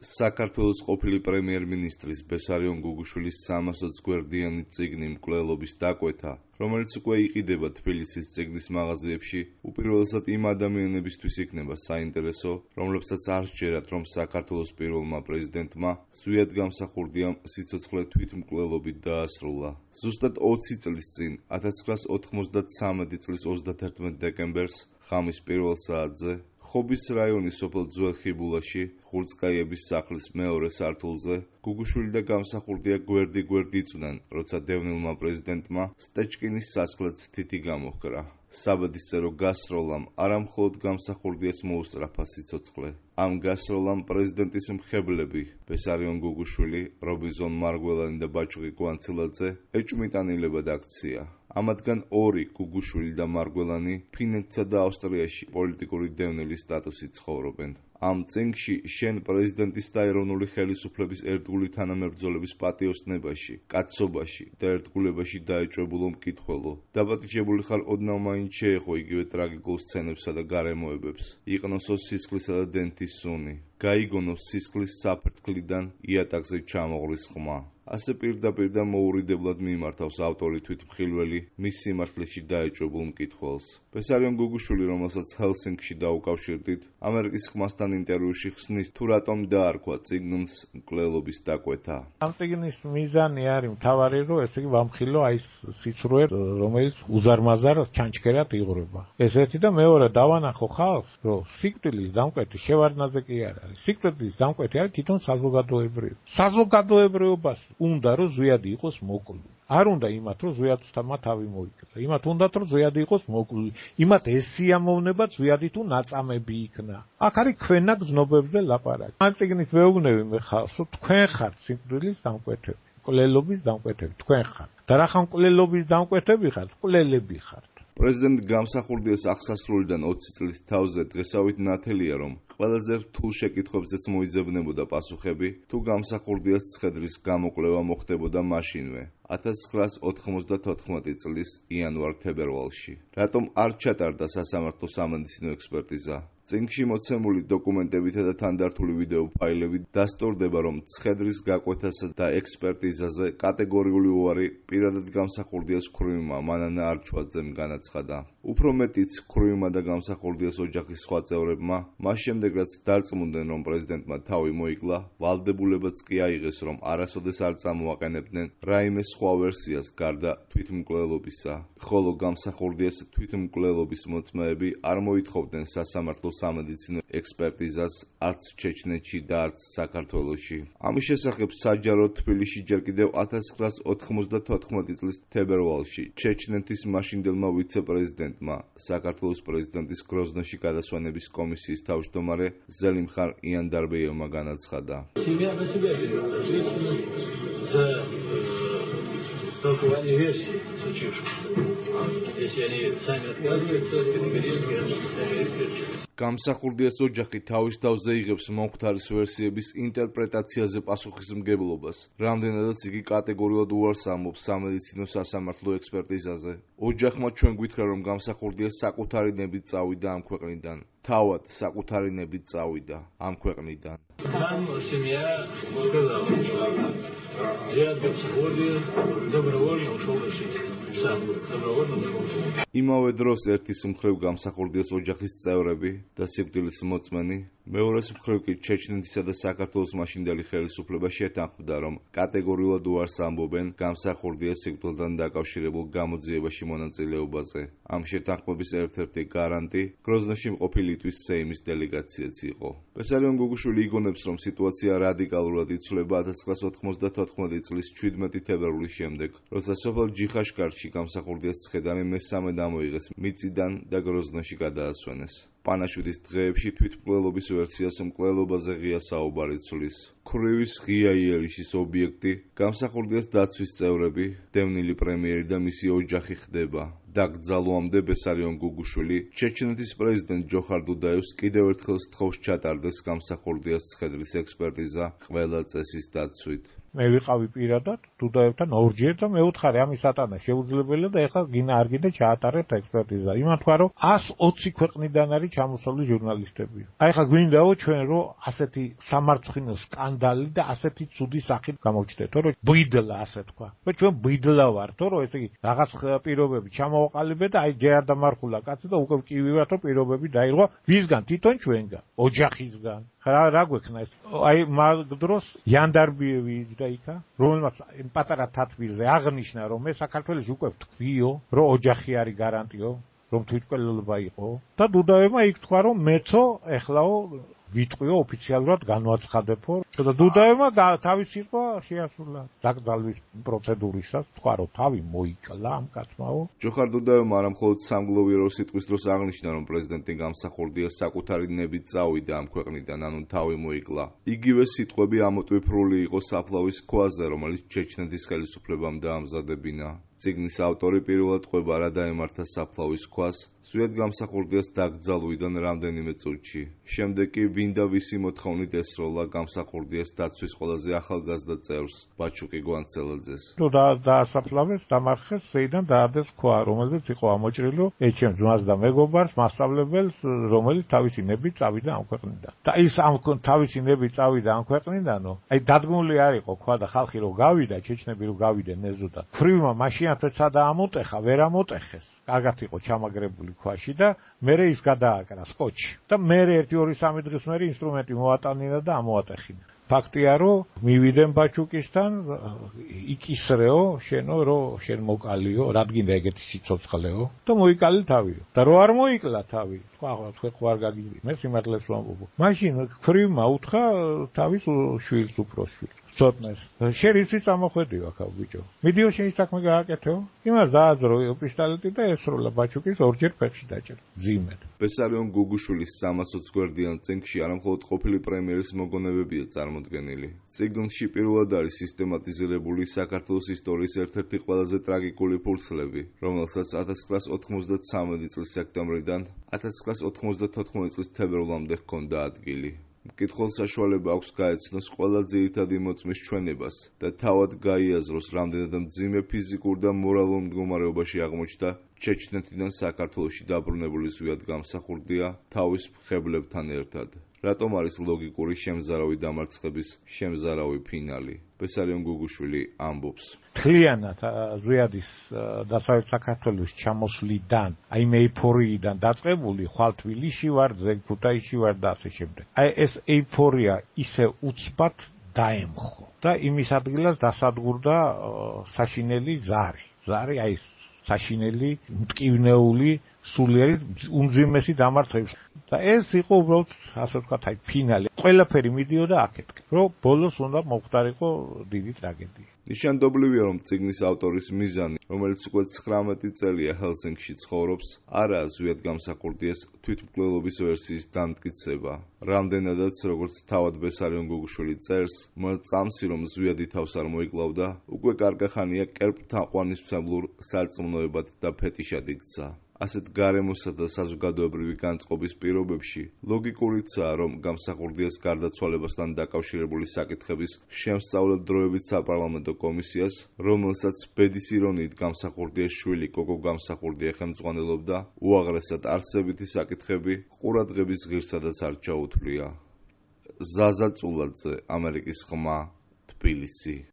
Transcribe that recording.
საქართველოს ყოფილი პრემიერ-მინისტრის ბესარიონ გუგუშვილის 320 გვერდიანი წიგნი მკვლელობის დაკვეთა, რომელიც უკვე იყიდება თბილისის წიგნის მაღაზიებში, უპირველესად იმ ადამიანებისთვის იქნება საინტერესო, რომლებსაც არ სჯერათ, რომ საქართველოს პირველმა პრეზიდენტმა ზვიად გამსახურდია სიცოცხლე თვითმკვლელობით დაასრულა. ზუსტად 20 წლის წინ, 1993 წლის 31 დეკემბერს, ღამის პირველ საათზე, ხობის რაიონის სოფელ ძველ ხიბულაში, ხურცკაიების სახლის მეორე სართულზე, გუგუშვილი და გამსახურდია გვერდი იწვნენ, როცა დევნილმა პრეზიდენტმა სტეჩკინის სასახლეც თითი გამოჰკრა. საბადისწერო გასროლამ არა მხოლოდ გამსახურდიას მოუსწრაფა სიცოცხლე. ამ გასროლამ პრეზიდენტის მხებლები, ბესარიონ გუგუშვილი, რობინზონ მარგველანი და ბაჩუყი კვანცილაძე ეჭვმიტანილებად აქცია. ამათგან ორი, გუგუშვილი და მარგველანი, ფინეთსა და ავსტრიაში პოლიტიკური დევნილის სტატუსით ცხოვრობენ. ამ წიგნში შენ პრეზიდენტის და ეროვნული ხელისუფლების ერთგული თანამებრძოლების პატიოსნებაში, კაცობაში და ერთგულებაში დაეჭვებულო მკითხველო. დაპატიჟებული ხარ ოდნავ მაინც შეეხო იგივე ტრაგიკულ სცენებსა და გარემოებებს. იყნოსო სისხლისა და დენთის სუნი. გაიგონოს სისხლის საფრთხლიდან იატაკზე ჩამოღრის ხმა. ასე პირდაპირ და მოურიდებლად მიმართავს ავტორი თვითმხილველი მის სიმართლეში დაეჭვებულ მკითხველს. ბესარიონ გუგუშვილი, რომელსაც ჰელსინკში დაუკავშირდით, ამერიკის ხმასთან ინტერვიუში ხსნის, თუ რატომ დაარქვა წიგნს მკვლელობის დაკვეთა. ამ წიგნის მიზანი არის მთავარი, რომ ესე იგი ვამხილო აი სიცრუე, რომელიც უზარმაზარ ჩანჩქერად იღრება. ესეთი და მეორე დავანახო ხალხს, რომ სიკვდილის დამკვეთი შევარდნაძე კი არ არის. სიკვდილის დამკვეთი არის თვითონ საზოგადოებრივი. საზოგადოებრიობას უნდა რომ ზვიადი იყოს მოკლული. არ უნდა იმათ რომ ზვიადსთამა თავი მოიკლა. იმათ უნდათ რომ ზვიადი იყოს მოკლული. იმათ ეს სიამოვნება ზვიადი თუ ნაწამები იქნა. აქ არის ქვენა გზნობებზე ლაპარაკი. ამ წიგნით ვეუბნები მე ხალხს, რომ თქვენ ხართ სიკვდილის დამკვეთები, მკვლელობის დამკვეთები, თქვენ ხართ. და რა ხან მკვლელობის დამკვეთები ხართ, მკვლელები ხართ. პრეზიდენტ გამსახურდიას აღსასრულიდან 20 წლის თავზე დღესავით ნათელია, რომ ყველაზე რთულ შეკითხვებზეც მოიძებნებოდა პასუხები, თუ გამსახურდიას ცხედრის გამოკვლევა მოხდებოდა მაშინვე, 1994 წლის იანვარ-თებერვალში. რატომ არ ჩატარდა სასამართლო სამედიცინო ექსპერტიზა? წიგნში მოცემული დოკუმენტებითა და თანდართული ვიდეო ფაილებით დასტურდება, რომ ცხედრის გაკვეთასა და ექსპერტიზაზე კატეგორიული უარი პირადად გამსახურდიას ქრუვმა მანანა არჩვაძემ განაცხადა. უფრო მეტიც, ქრუვმა და გამსახურდიას ოჯახის სხვა წევრებმა, მას შემდეგ რაც დარწმუნდნენ, რომ პრეზიდენტმა თავი მოიკლა, ვალდებულებაც კი აიღეს, რომ არასოდეს არ წამოაყენებდნენ რაიმე სხვა ვერსიას გარდა თვითმკვლელობისა. ხოლო გამსახურდიას თვითმკვლელობის მოწმეები არ მოითხოვდნენ სასამართლო სამედიცინო ექსპერტიზას არც ჩეჩნეთში და არც საქართველოში. ამის შესახებ საჯარო თბილისში ჯერ კიდევ 1994 წლის თებერვალში ჩეჩნეთის მაშინდელმა ვიცე-პრეზიდენტმა, საქართველოს პრეზიდენტის გროზნოში გადასვენების კომისიის თავმჯდომარე ზელიმხარ იანდარბეევმა განაცხადა. толкование версии случившегося. Если они сами отказываются, категорически исключают. გამსახურდიას ოჯახი თავის თავზე იღებს მომხდარის ვერსიების ინტერპრეტაციაზე პასუხისმგებლობას, რამდენადაც იგი კატეგორიულად უარს ამბობს სამედიცინო სასამართლო ექსპერტიზაზე. ოჯახმა ჩვენ გვითხრა, რომ გამსახურდიას საკუთარი ნებით წავიდა ამ ქვეყნიდან. თავად საკუთარი ნებით წავიდა ამ ქვეყნიდან. Там семья сказала, Зиад Гамсахурдия добровольно ушел из жизни. Сам добровольно ушел. იმავე დროს ერთის მხრივ გამსახურდიას ოჯახის წევრები და სიკვდილის მოწმენი, მეორეს მხრივ კი ჩეჩნეთისა და საქართველოს მაშინდელი ხელისუფლება შეთანხმდა, რომ კატეგორიულად უარს ამბობენ გამსახურდიას სიკვდილთან დაკავშირებულ გამოძიებაში მონაწილეობაზე. ამ შეთანხმების ერთ-ერთი გარანტი გროზნოში მყოფი ლიტვის სეიმის დელეგაციაც იყო. ბესარიონ გუგუშვილი იგონებს, რომ სიტუაცია რადიკალურად იცვლება 1994 წლის 17 თებერვლის შემდეგ, როცა სოფელ ჯიხაშკარში გამსახურდიას ცხედარი მესამე დამოიღეს მიწიდან და გროზნოში გადაასვენეს. პანაშვიდის დღეებში თვითმკვლელობის ვერსიას მკვლელობაზე ღია საუბარი ცვლის. ქრევის ღია იერიში ობიექტი, გამსახურდიას დაცვის წევრები, დევნილი პრემიერი და მისი ოჯახი ხდება. დაკრძალვამდე ბესარიონ გუგუშვილი, ჩეჩნეთის პრეზიდენტ ჯოხარ დუდაევს კიდევ ერთხელ სთხოვს ჩატარდეს გამსახურდიას ცხედრის ექსპერტიზა ყველა წესის დაცვით. მე ვიყავი პირადად დუდაევთან ორჯერ და მე ვუთხარი ამის ატანა შეუძლებელია და ეხლა გინა არ გინდა ჩაატარებთ ექსპერტიზა. იმან თქვა რომ 120 ქვეყნიდან არის ჩამოსული ჟურნალისტები. აი ხა გვინდაო ჩვენ რომ ასეთი სამარცხინო სკანდალი და ასეთი ცუდი სახით გამოჩნდეთ, რომ ბიდლა ასე თქვა. ჩვენ ბიდლა ვართ, რომ ესე იგი რაღაც პირობები ჩამოვაყალიბეთ და აი ჯერ არ დამარხულა კაცი და უკვე კი ვიღათ რომ პირობები დაირღვა ვისგან თვითონ ჩვენგან, ოჯახისგან. რა გვექნა ეს? აი მაგ დროს იანდარბიევი და იქა, რომელმაც პატარა თათბირზე აღნიშნა, რომ მე საქართველოს უკვე ვთქვიო, რომ ოჯახი არის გარანტიო, რომ თვითმკვლელობა იყო და დუდაევმა იქ თქვა, რომ მეცო ეხლაო ვიტყვიო ოფიციალურად განვაცხადებო და დუდაევმა თავის სიტყვა შეასრულა დაკრძალვის პროცედურისას, თქვა რომ თავი მოიკლა ამ კაცმაო. ჯოხარ დუდაევმა არამხოლოდ სამგლოვიარო სიტყვის დროს აღნიშნა, რომ პრეზიდენტი გამსახურდიას საკუთარი ნებით წავიდა ამ ქვეყნიდან, ანუ თავი მოიკლა. იგივე სიტყვები ამოტვიფრული იყო საფლავის ქვაზე, რომელიც ჩეჩნეთის ხელისუფლებამ დაამზადებინა. წიგნის ავტორი პირველად ყვება რა დაემართა საფლავის ქვას, ზუსტად გამსახურდიას დაკრძალვიდან რამდენიმე წუთში. შემდეგ კი ვინ და ვისი მოთხოვნით ესროლა გამსახურდიას დაცვის ყველაზე ახალგაზრდა წევრს, ბაჩუკი გვანცელაძეს. თუ დაასაფლავეს, დამარხეს, ზეიდან დაადეს ქვა, რომელზეც იყო ამოჭრილი ეჩემს ძმას და მეგობარს, მასწავლებელს, რომელიც თავისი ნებით წავიდა ამ ქვეყნიდან. და ის ამ თავისი ნებით წავიდა ამ ქვეყნიდანო, აი დადგმული არ იყო ქვა და ხალხი რო გავიდა, ჩეჩნები რო გავიდნენ ეზოდან. ქრივმა მაშინ თეცა და ამოტეხა, ვერ ამოტეხეს. კარგად იყო ჩამაგრებული ქვაში და მერე ის გადააკრა სკოჩი. და მერე 1-2-3 დღის მერე ინსტრუმენტი მოატანინა და ამოატეხინა. ფაქტია რომ მივიდენ ბაჩუკისთან, იკისრეო, შენო რომ შენ მოკალიო, რადგინდა ეგეთი სიცოცხლეო და მოიკალი თავიო. და რო არ მოიკლა თავი, თქვა ხო არ გაგიდი, მე სიმართლეს ვამბობ. მაშინ ქრივმა უთხრა თავის შვილს უფროსშვილს. ცოტნეს. შენ იცი წამოხვედი ვაქა ბიჭო. მიდიო შენი საქმე გააკეთეო. იმას დააძრო პისტოლეტი და ესროლა ბაჩუკის ორჯერ ფეხში დაჭერა. ძიმედ. ბესარიონ გუგუშვილის 320 გვერდიან წიგნში არამხოლოდ ყოფილი პრემიერის მოგონებებია წარმოდგენილი. წიგნში პირველად არის სისტემატიზირებული საქართველოს ისტორიის ერთ-ერთი ყველაზე ტრაგიკული ფურცლები, რომელსაც 1993 წლის სექტემბრიდან 1994 წლის თებერვლამდე ჰქონდა ადგილი. მკითხველს საშუალება აქვს გაეცნოს ყველა ძირითადი მოწმის ჩვენებას და თავად გაიაზროს, რამდენად მძიმე ფიზიკურ და მორალურ მდგომარეობაში აღმოჩნდა ჩეჩნეთიდან საქართველოში დაბრუნებული ზვიად გამსახურდია თავის მხებლებთან ერთად. რატომ არის ლოგიკური შემზარავი დამარცხების შემზარავი ფინალი? ბესარიონ გუგუშვილი ამბობს. მთლიანად ზვიადის დასავლეთ საქართველოს ჩამოსვლიდან, აი მე ეიფორიიდან დაწყებული, ხვალ თბილისში ვარ, ზეგ ქუთაისში ვარ და ასე შემდეგ. აი ეს ეიფორია ისე უცბად დაემხო და იმის ადგილას დასადგურდა საშინელი ზარი. ზარი აი საშინელი, მტკივნეული, სულიერი უმძიმესი დამარცხების. და ეს იყო უბრალოდ ასე ვთქვათ, აი ფინალი. ყველაფერი მიდიოდა აქეთკენ, რომ ბოლოს უნდა მოხდარიყო დიდი ტრაგედია. ნიშანდობლივია, რომ წიგნის ავტორის მიზანი, რომელიც უკვე 19 წელია ჰელსინკში ცხოვრობს, არაა ზვიად გამსახურდიას თვითმკვლელობის ვერსიის დამტკიცება. რამდენადაც, როგორც თავად ბესარიონ გუგუშვილი წერს, წამსი რომ ზვიადი თავს არ მოიკლავდა, უკვე კარგახანია კერპთაყვანისმცემლურ სარწმუნოებად და ფეტიშად იქცა. ასეთ გარემოსა და საზოგადოებრივი განწყობის პირობებში ლოგიკურიცაა, რომ გამსახურდიას გარდაცვალებასთან დაკავშირებული საკითხების შემსწავლელ დროებით საპარლამენტო კომისიას, რომელსაც ბედის ირონიით გამსახურდიას შვილი კოკო გამსახურდია ხელმძღვანელობდა, უაღრესად არსებითი საკითხები ყურადღების ღირსადაც არ ჩაუთვლია. ზაზა წულაძე, ამერიკის ხმა, თბილისი.